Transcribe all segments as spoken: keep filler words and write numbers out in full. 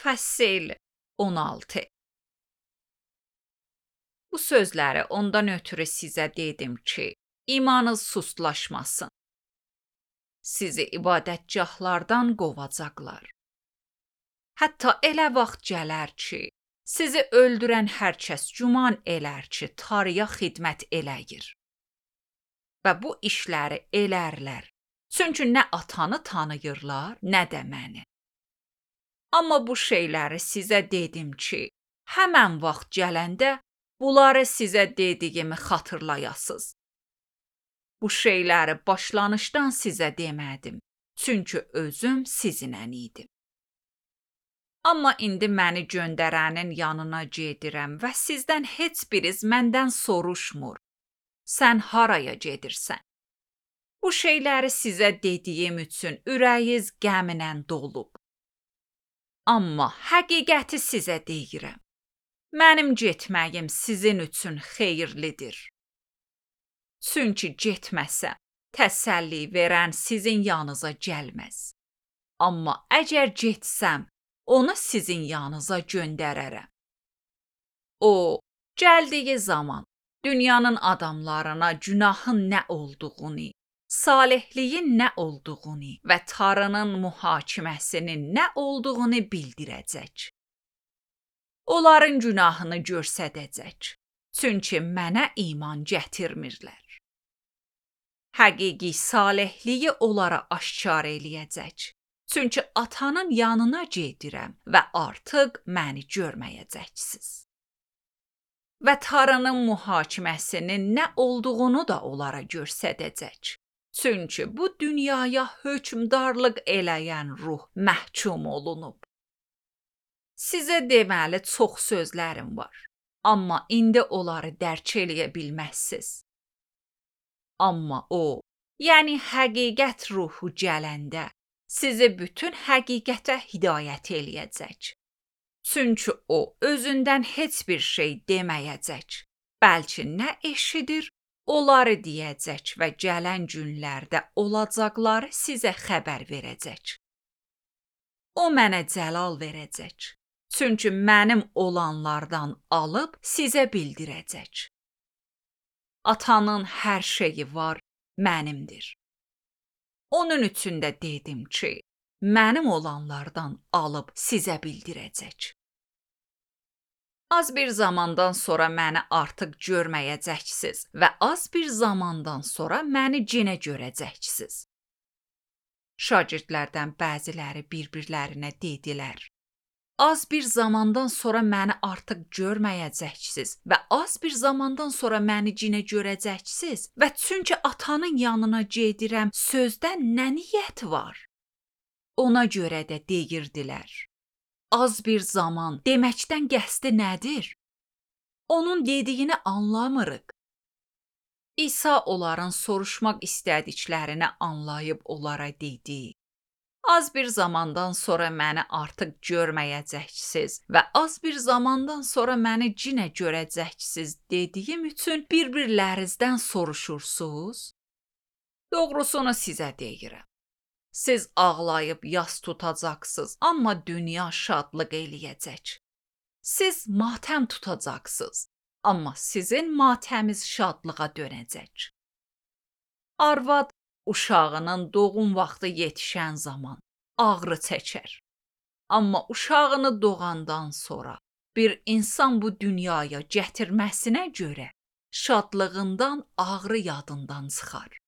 Fəsil on altı. Bu sözləri ondan ötürü sizə dedim ki, imanınız sustlaşmasın. Sizi ibadətgahlardan qovacaqlar. Hətta elə vaxt gələr ki, sizi öldürən hər kəs güman elər ki, Tanrıya xidmət eləyir. Və bu işləri elərlər. Çünki nə atanı tanıyırlar, nə də məni. Amma bu şeyləri sizə dedim ki, həmən vaxt gələndə bunları sizə dediyimi xatırlayasınız. Bu şeyləri başlanışdan sizə demədim, çünki özüm sizinlə idim. Amma indi məni göndərənin yanına gedirəm və sizdən heç biriz məndən soruşmur. Sən haraya gedirsən? Bu şeyləri sizə dediyim üçün ürəyiniz qəmlə dolub. Amma həqiqəti sizə deyirəm. Mənim getməyim sizin üçün xeyirlidir. Çünki getməsəm, təsəlli verən sizin yanınıza gəlməz. Amma əgər getsəm, onu sizin yanınıza göndərərəm. O, gəldiyi zaman dünyanın adamlarına günahın nə olduğunu, salihliyin nə olduğunu və Tanrının mühakiməsinin nə olduğunu bildirəcək. Onların günahını göstərəcək, çünki mənə iman gətirmirlər. Həqiqi salihliyi onlara aşkar eləyəcək, çünki atanın yanına gedirəm və artıq məni görməyəcəksiniz. Və Tanrının mühakiməsinin nə olduğunu da onlara göstərəcək, çünki bu dünyaya hökmdarlıq eləyən ruh məhkum olunub. Sizə deməli çox sözlərim var, amma indi onları dərk eləyə bilməzsiniz. Amma o, yəni həqiqət ruhu gələndə, sizi bütün həqiqətə hidayət eləyəcək. Çünki o, özündən heç bir şey deməyəcək, bəlkə nə eşidir, onları deyəcək və gələn günlərdə olacaqları sizə xəbər verəcək. O mənə cəlal verəcək. Çünki mənim olanlardan alıb sizə bildirəcək. Atanın hər şeyi var, mənimdir. Onun üçün də dedim ki, mənim olanlardan alıb sizə bildirəcək. Az bir zamandan sonra məni artıq görməyəcəksiniz və az bir zamandan sonra məni yenə görəcəksiniz. Şagirdlərdən bəziləri bir-birlərinə dedilər. Az bir zamandan sonra məni artıq görməyəcəksiniz və az bir zamandan sonra məni yenə görəcəksiniz və çünki atanın yanına gedirəm, sözdən nə niyyət var? Ona görə də deyirdilər. Az bir zaman deməkdən qəsdi nədir? Onun dediyini anlamırıq. İsa onların soruşmaq istədiklərini anlayıb onlara dedi. Az bir zamandan sonra məni artıq görməyəcəksiniz və az bir zamandan sonra məni yenə görəcəksiniz dediyim üçün bir-birlərinizdən soruşursunuz? Doğrusunu sizə deyirəm. Siz ağlayıb yas tutacaqsınız, amma dünya şadlıq eləyəcək. Siz matəm tutacaqsınız, amma sizin matəmiz şadlığa dönəcək. Arvad uşağının doğum vaxtı yetişən zaman ağrı çəkər. Amma uşağını doğandan sonra bir insan bu dünyaya gətirməsinə görə şadlığından ağrı yadından çıxar.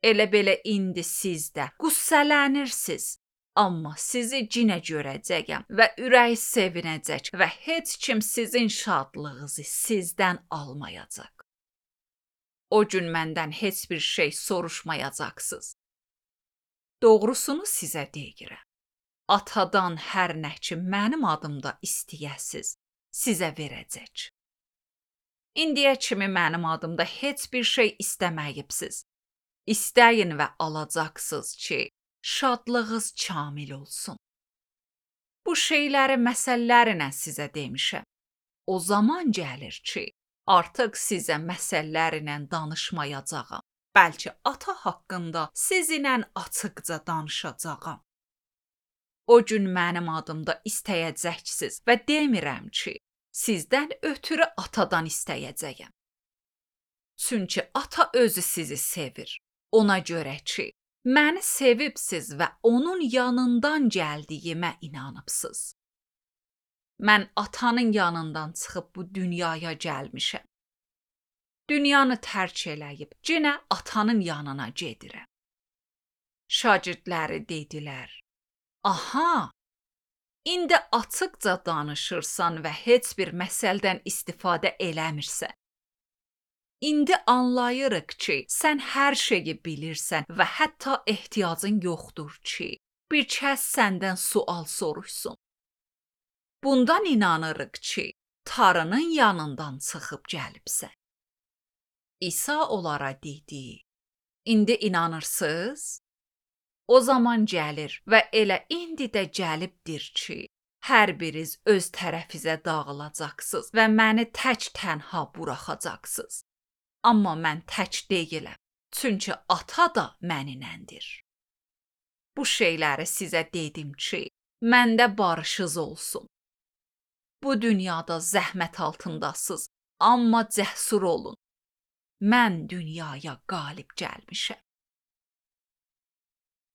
Elə belə indi siz də qüssələnirsiniz, amma sizi yenə görəcəyəm və ürək sevinəcək və heç kim sizin şadlığınızı sizdən almayacaq. O gün məndən heç bir şey soruşmayacaqsınız. Doğrusunu sizə deyirəm. Atadan hər nə ki mənim adımda istəyəsiz, sizə verəcək. İndiyə kimi mənim adımda heç bir şey istəməyibsiz. İstəyin və alacaqsınız ki, şadlığınız kamil olsun. Bu şeyləri məsəllərlə sizə demişəm. O zaman gəlir ki, artıq sizə məsəllərlə danışmayacağam. Bəlkə ata haqqında sizinlə açıqca danışacağam. O gün mənim adımda istəyəcəksiniz və demirəm ki, sizdən ötürü atadan istəyəcəyəm. Çünki ata özü sizi sevir. Ona görə ki, məni sevibsiz və onun yanından gəldiyimə inanıbsız. Mən atanın yanından çıxıb bu dünyaya gəlmişəm. Dünyanı tərk eləyib, yenə atanın yanına gedirəm. Şagirdləri dedilər, aha, indi açıqca danışırsan və heç bir məsəldən istifadə eləmirsən. İndi anlayırıq ki, sən hər şeyi bilirsən və hətta ehtiyacın yoxdur ki, bir kəs səndən sual soruşsun. Bundan inanırıq ki, Tarının yanından çıxıb gəlibsən. İsa onlara dedi, indi inanırsınız? O zaman gəlir və elə indi də gəlibdir ki, hər biriniz öz tərəfizə dağılacaqsınız və məni tək tənha buraxacaqsınız. Amma mən tək deyiləm, çünki ata da məninəndir. Bu şeyləri sizə dedim ki, məndə barışınız olsun. Bu dünyada zəhmət altındasınız, amma cəsur olun. Mən dünyaya qalib gəlmişəm.